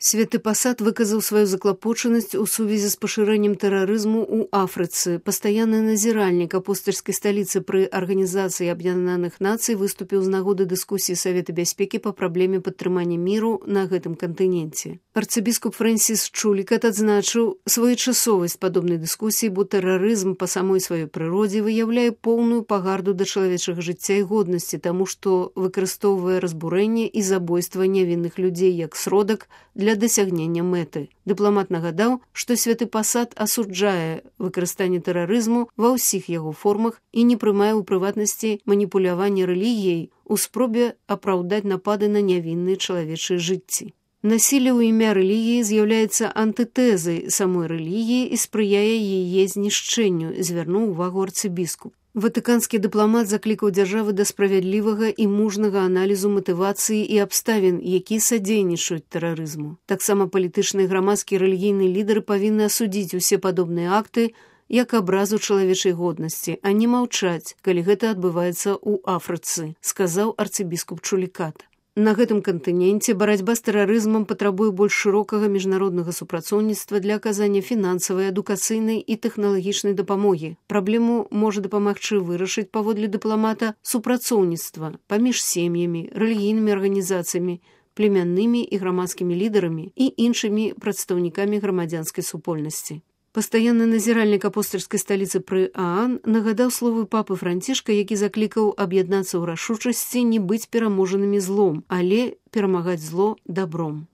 Святы Пасад выказаў сваю заклапочанасць у сувязі з пашырэннем тэрарызму ў Афрыцы. Пастаянны назіральнік апостальскай сталіцы пры Арганізацыі Аб'яднаных Нацый выступіў з нагоды дыскусіі Савета бяспекі па праблеме падтрымання міру на гэтым кантыненце. Арцыбіскуп Фрэнсіс Чулікат адзначыў своечасовасць падобнай дыскусіі, бо тэрарызм па самой сваёй прыродзе выяўляе поўную пагарду да чалавечага жыцця і годнасці, таму што выкарыстоўвае разбурэнне і забойства нявінных людзей як сродак для дасягнення мэты. Дыпламат нагадаў, што Святы Пасад асуджае выкарыстанне тэрарызму ва ўсіх яго формах і не прымае ў прыватнасці маніпуляванне рэлігіяй у спробе апраўдаць напады на нявінныя чалавечыя жыцці. Насілле ў імя рэлігіі з'яўляецца антытэзай самой рэлігіі і спрыяе яе знішчэнню, звярнуў увагу арцыбіскуп. Ватыканскі дыпламат заклікаў дзяржавы да справядлівага і мужнага аналізу матывацыі і абставін, якія садзейнічаюць тэрарызму. Таксама палітычныя, грамадскія, рэлігійныя лідары павінны асудзіць усе падобныя акты як абразу чалавечай годнасці, а не маўчаць, калі гэта адбываецца ў Афрыцы, сказаў арцыбіскуп Чулікат. На гэтым кантыненце барацьба з тэрарызмам патрабуе больш шырокага міжнароднага супрацоўніцтва для аказання фінансавай, адукацыйнай і тэхналагічнай дапамогі. Праблему можа дапамагчы вырашыць, паводле дыпламата, супрацоўніцтва паміж сем'ямі, рэлігійнымі арганізацыямі, племяннымі і грамадскімі лідарамі і іншымі прадстаўнікамі грамадзянскай супольнасці. Пастаянны назіральнік апостальскай сталіцы пры ААН нагадаў словы папы Францішка, які заклікаў аб'яднацца ў рашучасці не быць пераможанымі злом, але перамагаць зло дабром.